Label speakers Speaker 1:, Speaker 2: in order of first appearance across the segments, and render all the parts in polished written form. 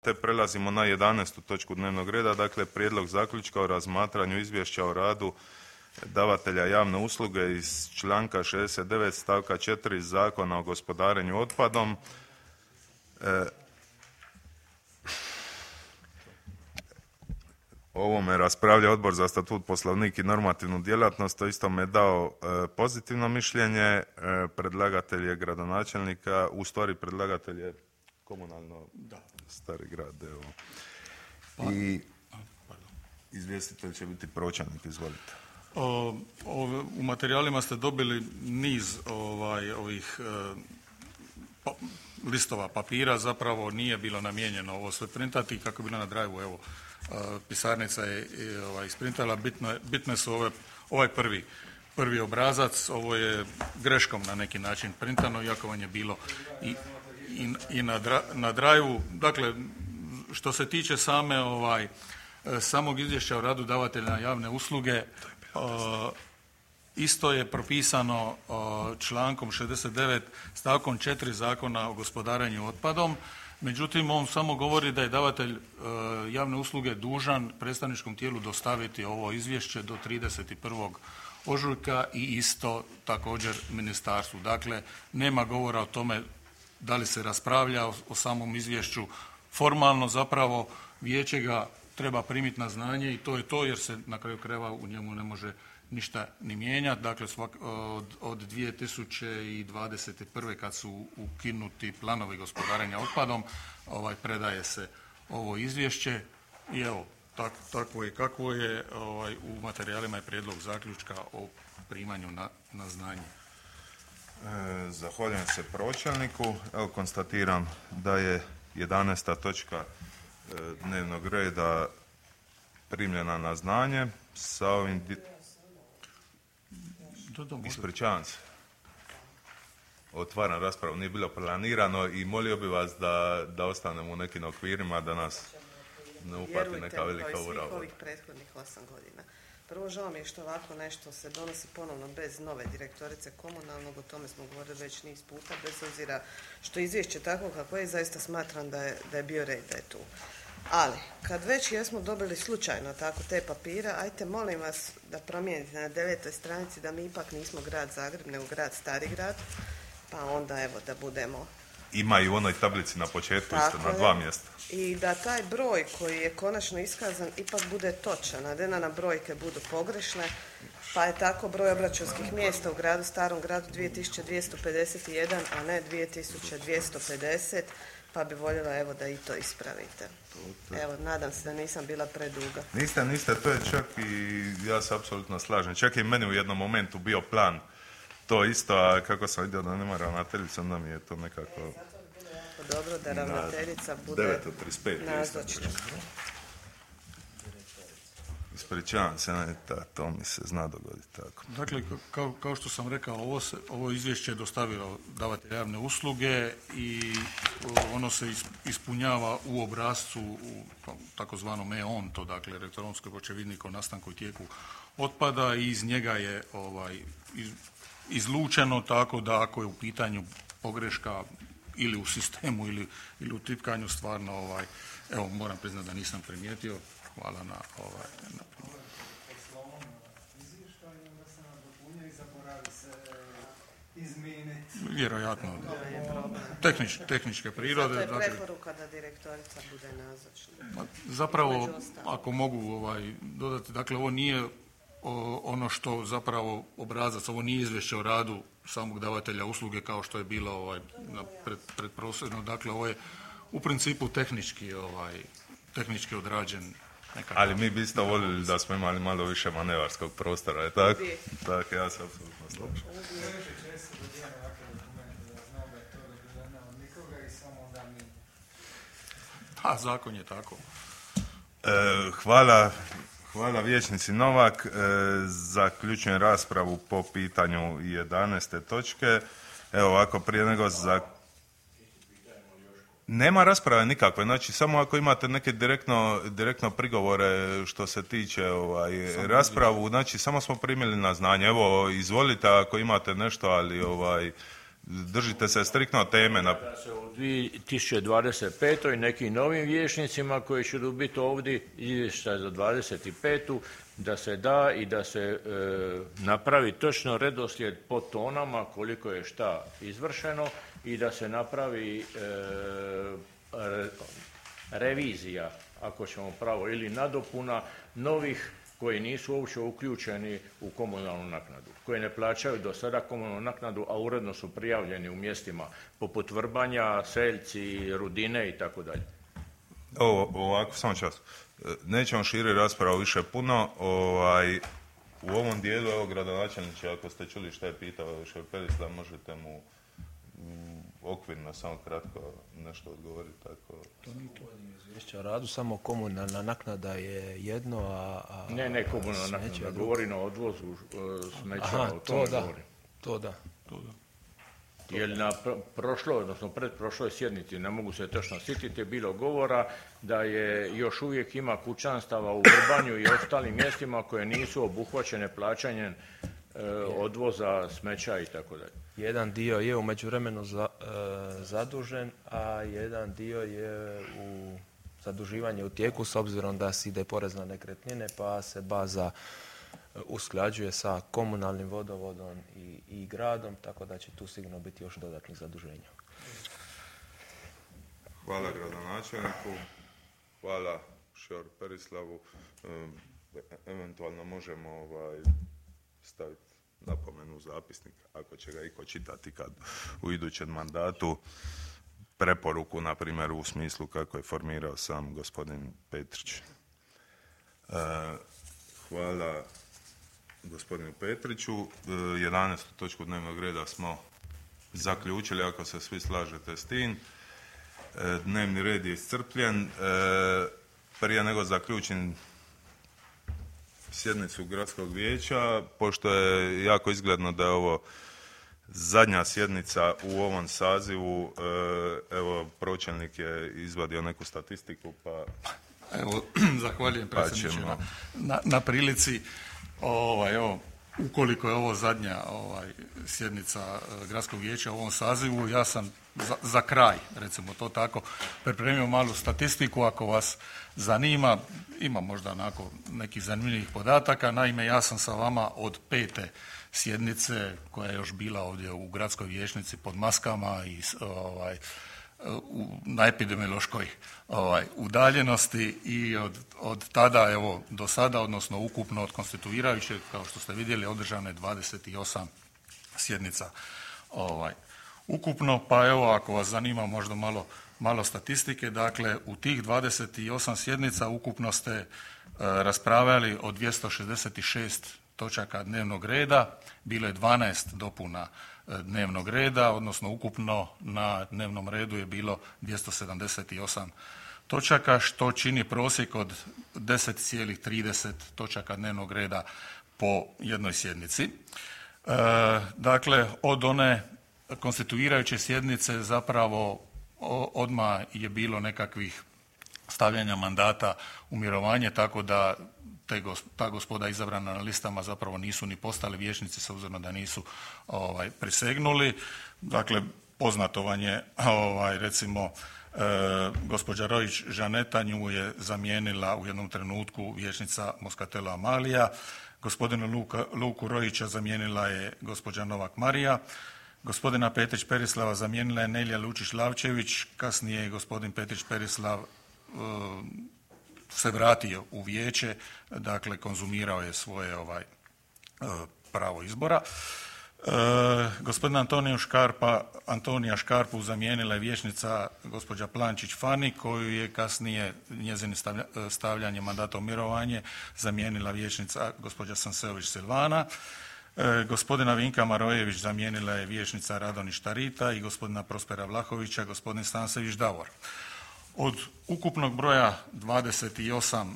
Speaker 1: te prelazimo na 11. točku dnevnog reda, dakle prijedlog zaključka o razmatranju izvješća o radu davatelja javne usluge iz članka 69. stavka 4. Zakona o gospodarenju otpadom. O ovome raspravlja Odbor za statut, poslovnik i normativnu djelatnost, to isto me dao pozitivno mišljenje. Predlagatelj je gradonačelnika, u stvari predlagatelj je komunalno Stari grad. Evo. I izvjestitelj će biti pročelnik, izvolite.
Speaker 2: U materijalima ste dobili niz ovih listova papira, zapravo nije bilo namijenjeno ovo sve printati kako je bilo na drive-u, evo pisarnica je isprintala, bitne su ovaj prvi obrazac, ovo je greškom na neki način printano, iako vam je bilo i na drive-u. Dakle, što se tiče samog izvješća o radu davatelja javne usluge, isto je propisano člankom 69 stavkom 4 Zakona o gospodarenju otpadom. Međutim, on samo govori da je davatelj javne usluge dužan predstavničkom tijelu dostaviti ovo izvješće do 31. ožujka i isto također ministarstvu. Dakle, nema govora o tome da li se raspravlja o samom izvješću. Formalno zapravo vijeće ga treba primiti na znanje i to je to, jer se na kraju krajeva u njemu ne može ništa ni mijenjati. Dakle, od 2021. kad su ukinuti planovi gospodarenja otpadom, predaje se ovo izvješće i evo, takvo je kakvo je. U materijalima je prijedlog zaključka o primanju na znanje.
Speaker 1: Zahvaljujem se pročelniku. Evo, konstatiram da je 11. točka dnevnog reda primljena na znanje. Sa ovim ispričavam se. Otvaram raspravu, nije bilo planirano i molio bi vas da ostanemo u nekim okvirima, da nas ne upati neka velika urava.
Speaker 3: Ovih prethodnih 8 godina. Prvo, žao mi je što ovako nešto se donosi ponovno bez nove direktorice komunalnog, o tome smo govorili već niz puta, bez obzira što izvješće tako kako je, zaista smatram da je bio red da je tu. Ali, kad već jesmo dobili slučajno tako te papire, ajte molim vas da promijenite na 9. stranici da mi ipak nismo grad Zagreb, nego grad Stari grad, pa onda evo da budemo...
Speaker 1: Ima i u onoj tablici na početku isto, na 2 mjesta.
Speaker 3: I da taj broj koji je konačno iskazan ipak bude točan, a da na brojke budu pogrešne, pa je tako broj obračunskih mjesta u gradu Starom gradu 2251, a ne 2250, pa bi voljela evo da i to ispravite. Evo, nadam se da nisam bila preduga.
Speaker 1: Niste, to je čak i ja se apsolutno slažem. Čak i meni u jednom momentu bio plan to isto, a kako sam vidio da nema ravnateljica, onda mi je to nekako...
Speaker 3: Zato bi bilo jako dobro da ravnateljica bude nazočna.
Speaker 1: Ispričavam se, to mi se zna dogoditi tako.
Speaker 2: Dakle, kao što sam rekao, ovo izvješće je dostavilo davatelj javne usluge i ono se ispunjava u obrascu, u takozvanom e-ONTO, dakle elektronskoj očevidnik o nastanku i tijeku otpada, i iz njega je izlučeno, tako da ako je u pitanju pogreška ili u sistemu ili u tipkanju, stvarno evo, moram priznati da nisam primijetio. Hvala na vjerojatno tehničke prirode.
Speaker 3: Zato je preporuka da direktorica bude nazočna.
Speaker 2: Zapravo, ako mogu dodati, dakle, ovo nije ono što zapravo obrazac, ovo nije izvješće o radu samog davatelja usluge kao što je bilo predprosjedno. Dakle, ovo je u principu tehnički odrađen.
Speaker 1: Ali mi bi isto voljeli da smo imali malo više manevarskog prostora, je tako? Tako, ja se apsolutno slažem.
Speaker 2: Pa, zakon je tako.
Speaker 1: Hvala vijećnici Novak. Zaključujem raspravu po pitanju 11. točke. Evo ovako, prije nego nema rasprave nikakve, znači samo ako imate neke direktno prigovore što se tiče raspravu, znači samo smo primili na znanje. Evo, izvolite ako imate nešto, ali držite se striktno teme.
Speaker 4: Da se u 2025. nekim novim vijećnicima koji će biti ovdje izvještaj za 25. da se da i da se napravi točno redoslijed po tonama koliko je šta izvršeno i da se napravi revizija, ako ćemo pravo, ili nadopuna novih koji nisu uopće uključeni u komunalnu naknadu, koji ne plaćaju do sada komunalnu naknadu, a uredno su prijavljeni u mjestima poput Vrbanja, Seljci, Rudine i tako dalje.
Speaker 1: Ovako, samo čas. Nećemo širi raspravu više puno. U ovom dijelu, evo, gradonačelniče, ako ste čuli šta je pitao šef Perislav, možete mu okvirno, samo kratko nešto odgovoriti. Tako.
Speaker 5: To nije to izvješće o radu, samo komunalna naknada je jedno, a
Speaker 4: Ne, komunalna naknada, govorim o odvozu smeća, o tome govorim.
Speaker 5: To da.
Speaker 4: Jer na prošloj, odnosno predprošloj sjednici, ne mogu se točno sjetiti, je bilo govora da je još uvijek ima kućanstava u Vrbanju i ostalim mjestima koje nisu obuhvaćene plaćanjem odvoza smeća i tako dalje.
Speaker 5: Jedan dio je u međuvremenu zadužen, a jedan dio je u zaduživanje u tijeku s obzirom da se ide porez na nekretnine, pa se baza usklađuje sa komunalnim vodovodom i gradom, tako da će tu sigurno biti još dodatnih zaduženja.
Speaker 1: Hvala gradonačelniku, hvala šef Perislavu. Eventualno možemo staviti napomenu u zapisnik, ako će ga iko čitati kad u idućem mandatu, preporuku, na primjer, u smislu kako je formirao sam gospodin Petrić. Hvala gospodinu Petriću. 11. točku dnevnog reda smo zaključili, ako se svi slažete s tim. Dnevni red je iscrpljen. Prije nego zaključim sjednicu gradskog vijeća, pošto je jako izgledno da je ovo zadnja sjednica u ovom sazivu, evo, pročelnik je izvadio neku statistiku, pa...
Speaker 2: Evo, zahvaljujem predsjedniče na prilici. Evo, ukoliko je ovo zadnja sjednica gradskog vijeća u ovom sazivu, ja sam za kraj, recimo to tako, pripremio malu statistiku, ako vas zanima, ima možda onako nekih zanimljivih podataka. Naime, ja sam sa vama od 5. sjednice, koja je još bila ovdje u gradskoj vijećnici pod maskama i na epidemiološkoj udaljenosti, i od tada, evo, do sada, odnosno ukupno od konstituirajućeg, kao što ste vidjeli, održano je 28 sjednica ukupno. Pa evo, ako vas zanima možda malo statistike, dakle, u tih 28 sjednica ukupno ste raspravljali o 266 točaka dnevnog reda, bilo je 12 dopuna dnevnog reda, odnosno ukupno na dnevnom redu je bilo 278 točaka, što čini prosjek od 10,30 točaka dnevnog reda po jednoj sjednici. Dakle, od one konstituirajuće sjednice zapravo odmah je bilo nekakvih stavljanja mandata u mirovanje, tako da ta gospoda izabrana na listama zapravo nisu ni postali vijećnici s obzirom da nisu prisegnuli. Dakle, poznato vam je, recimo, gospođa Rojić Žaneta, nju je zamijenila u jednom trenutku vijećnica Moskatela Amalija, gospodina Luku Rojića zamijenila je gospođa Novak Marija, gospodina Petrić Perislava zamijenila je Nelja Lučić-Lavčević, kasnije je gospodin Petrić Perislav se vratio u vijeće, dakle konzumirao je svoje pravo izbora. Gospodina Antonija Škarpu zamijenila je vijećnica gospođa Plančić Fani, koju je kasnije njezino stavljanje mandata u mirovanje zamijenila vijećnica gospođa Sanseović Silvana. Gospodina Vinka Marojević zamijenila je vijećnica Radonić Tarita i gospodina Prospera Vlahovića gospodin Stansević Davor. Od ukupnog broja 28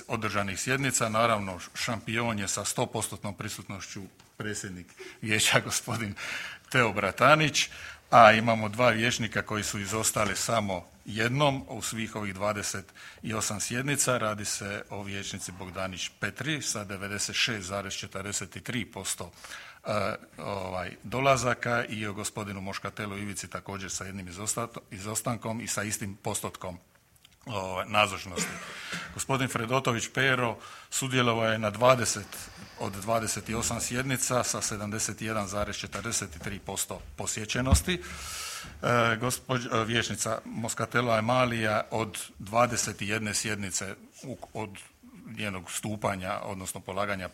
Speaker 2: održanih sjednica, naravno šampion je sa 100% prisutnošću predsjednik vijeća gospodin Teo Bratanić, a imamo 2 vijećnika koji su izostali samo jednom u svih ovih 28 sjednica. Radi se o vijećnici Bogdanić Petri sa 96,43% dolazaka i o gospodinu Moškatelu Ivici također sa jednim izostankom i sa istim postotkom nazočnosti. Gospodin Fredotović Pero sudjelovao je na 20 od 28 sjednica sa 71,43% posjećenosti. Vijećnica Moskatela Emalija od 21 sjednice od njenog stupanja, odnosno polaganja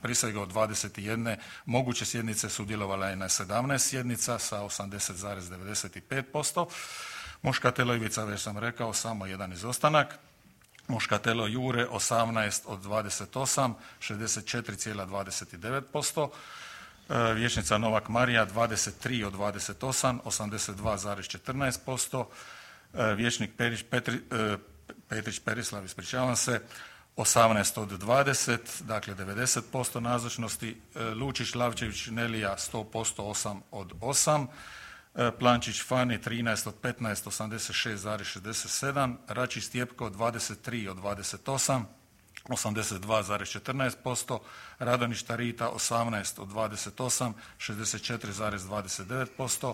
Speaker 2: prisege od 21 moguće sjednice sudjelovala je na 17 sjednica sa 80,95%. Moškatelo Ivica, već sam rekao, samo jedan izostanak. Moškatelo Jure 18 od 28, 64,29%. Vijećnica Novak Marija 23 od 28, 82,14%. Vijećnik Petrić Perislav, ispričavam se, 18 od 20, dakle 90% nazočnosti. Lučić Lavčević Nelija 100%, 8 od 8. Plančić Fani 13 od 15, 86,67. Račić Stjepko 23 od 28, 82,14%. Radonić Tarita 18 od 28, 64,29%.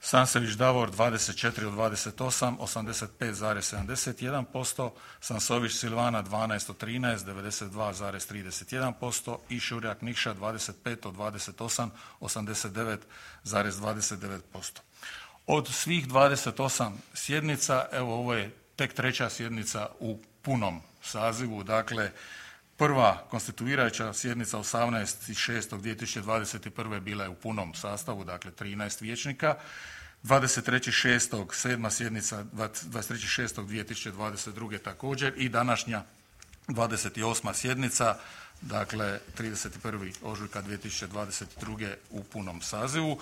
Speaker 2: Sansević Davor 24 od 28, 85,71%. Sansović Silvana 12 od 13, 92,31%. I Šurjak Nikša 25 od 28, 89,29%. Od svih 28 sjednica, evo ovo je tek treća sjednica u punom sazivu, dakle prva konstituirajuća sjednica 18.6.2021. bila je u punom sastavu, dakle 13 vijećnika. 23.6. 7. sjednica 23.6.2022. također i današnja 28. sjednica, dakle 31. ožujka 2022. u punom sazivu.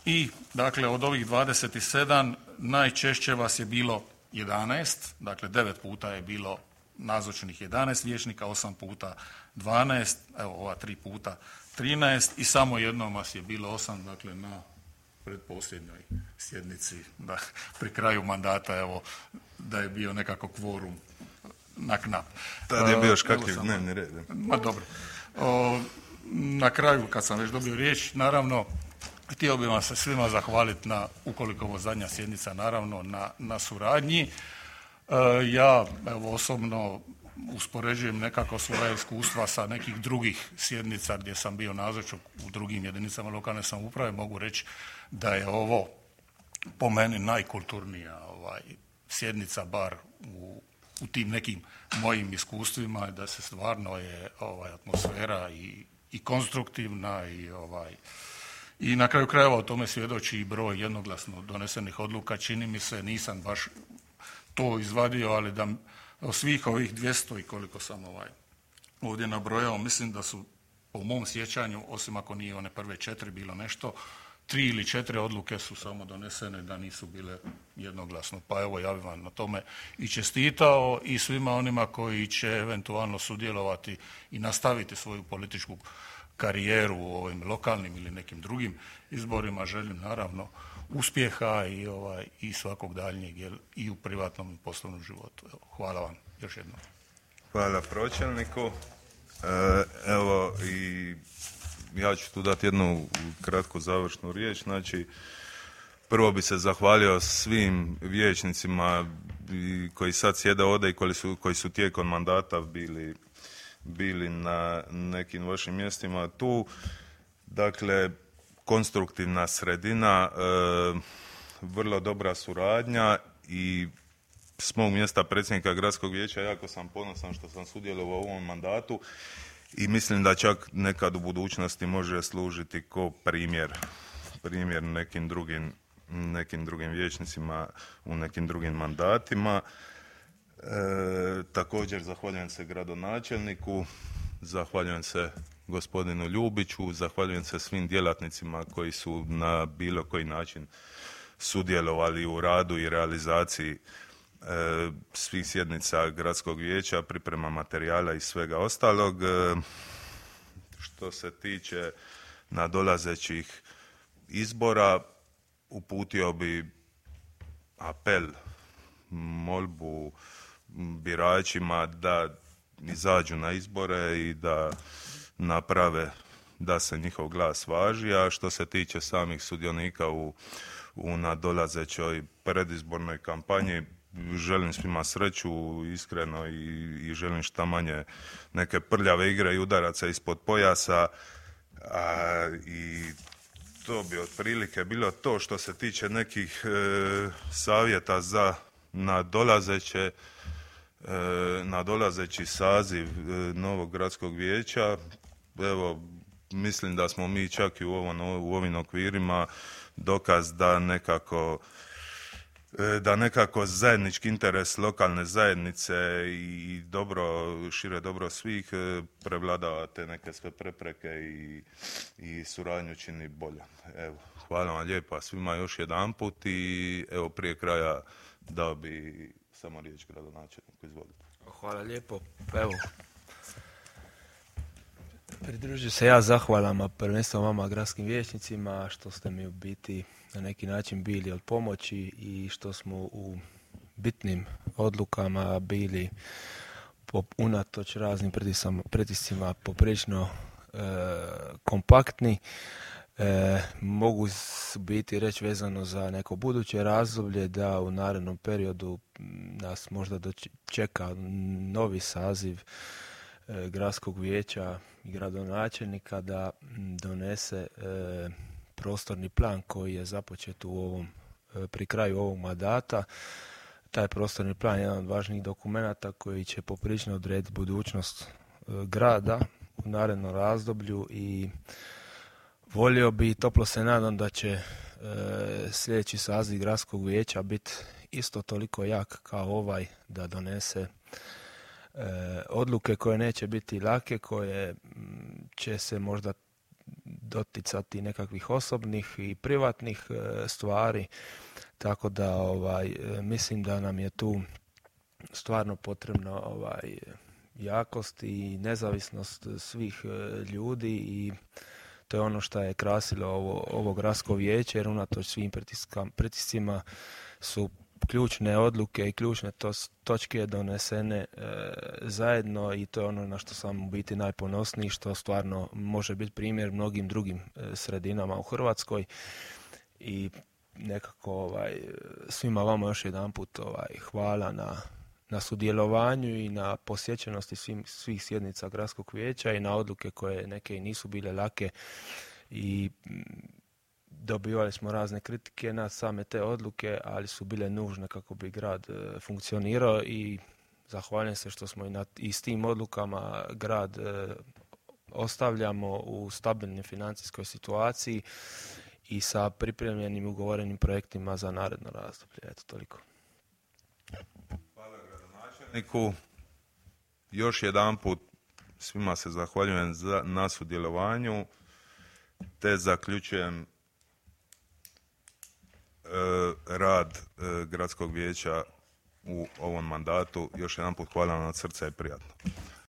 Speaker 2: I dakle od ovih 27 najčešće vas je bilo 11, dakle 9 puta je bilo nazočnih 11 vijećnika, 8 puta 12, evo ova 3 puta 13 i samo jednom vas je bilo 8, dakle na predposljednjoj sjednici, da pri kraju mandata, evo, da je bio nekako kvorum na knap.
Speaker 1: Tad je bio škakljiv dnevni red.
Speaker 2: Ma dobro. Na kraju, kad sam već dobio riječ, naravno, htio bih vam se svima zahvaliti na, ukoliko ovo zadnja sjednica, naravno, na suradnji. Ja, evo, osobno uspoređujem nekako svoje iskustva sa nekih drugih sjednica gdje sam bio nazočan u drugim jedinicama lokalne samouprave. Mogu reći da je ovo po meni najkulturnija sjednica, bar u tim nekim mojim iskustvima, da se stvarno je atmosfera i konstruktivna i na kraju krajeva o tome svjedoči i broj jednoglasno donesenih odluka. Čini mi se, nisam baš to izvadio, ali da svih ovih 200 i koliko sam ovdje nabrojao, mislim da su po mom sjećanju, osim ako nije one prve 4 bilo nešto, 3 ili 4 odluke su samo donesene da nisu bile jednoglasno. Pa evo, ja bih vam na tome i čestitao i svima onima koji će eventualno sudjelovati i nastaviti svoju političku karijeru u ovim lokalnim ili nekim drugim izborima. Želim naravno uspjeha i svakog daljnjeg i u privatnom i poslovnom životu. Evo, hvala vam još jednom.
Speaker 1: Hvala pročelniku. Evo i ja ću tu dati jednu kratku završnu riječ. Znači, prvo bi se zahvalio svim vijećnicima koji sad sjede ovdje i koji su tijekom mandata bili na nekim vašim mjestima tu. Dakle, konstruktivna sredina, vrlo dobra suradnja i s mog mjesta predsjednika gradskog vijeća jako sam ponosan što sam sudjelovao u ovom mandatu i mislim da čak nekad u budućnosti može služiti kao primjer nekim drugim vijećnicima u nekim drugim mandatima. Također zahvaljujem se gradonačelniku, zahvaljujem se gospodinu Ljubiću, zahvaljujem se svim djelatnicima koji su na bilo koji način sudjelovali u radu i realizaciji svih sjednica gradskog vijeća, priprema materijala i svega ostalog. Što se tiče nadolazećih izbora, uputio bi apel, molbu biračima da izađu na izbore i da naprave da se njihov glas važi, a što se tiče samih sudionika u nadolazećoj predizbornoj kampanji, želim svima sreću, iskreno, i želim šta manje neke prljave igre i udaraca ispod pojasa, i to bi otprilike bilo to što se tiče nekih savjeta za nadolazeći saziv novog gradskog vijeća. Evo, mislim da smo mi čak i u ovim okvirima dokaz da nekako zajednički interes lokalne zajednice i šire dobro svih prevladava te neke sve prepreke i suradnju čini bolje. Evo, hvala vam lijepa svima još jedanput i evo prije kraja dao bi samo riječ gradonačelniku. Izvolite.
Speaker 5: Hvala lijepo. Evo, pridružujem se ja zahvalama prvenstveno vama gradskim vijećnicima što ste mi u biti na neki način bili od pomoći i što smo u bitnim odlukama bili unatoč raznim pritiscima poprilično kompaktni. Mogu biti reći vezano za neko buduće razdoblje da u narednom periodu nas možda čeka novi saziv gradskog vijeća i gradonačelnika da donese prostorni plan koji je započet pri kraju ovog mandata. Taj prostorni plan je jedan od važnijih dokumenata koji će poprilično odrediti budućnost grada u narednom razdoblju i volio bi i toplo se nadam da će sljedeći saziv gradskog vijeća biti isto toliko jak kao ovaj da donese odluke koje neće biti lake, koje će se možda doticati nekakvih osobnih i privatnih stvari, tako da mislim da nam je tu stvarno potrebno jakost i nezavisnost svih ljudi i to je ono što je krasilo ovo gradsko vijeće, jer unatoč svim pritiscima su ključne odluke i ključne točke donesene zajedno i to je ono na što sam u biti najponosniji, što stvarno može biti primjer mnogim drugim sredinama u Hrvatskoj i nekako svima vama još jedanput hvala na sudjelovanju i na posjećenosti svih sjednica gradskog vijeća i na odluke koje neke i nisu bile lake i dobivali smo razne kritike na same te odluke, ali su bile nužne kako bi grad funkcionirao i zahvaljujem se što smo i s tim odlukama grad ostavljamo u stabilnoj financijskoj situaciji i sa pripremljenim ugovorenim projektima za naredno razdoblje. Eto, toliko.
Speaker 1: Hvala gradonačelniku. Još jedanput svima se zahvaljujem na sudjelovanju, te zaključujem rad gradskog vijeća u ovom mandatu. Još jedanput hvala vam od srca i prijatno.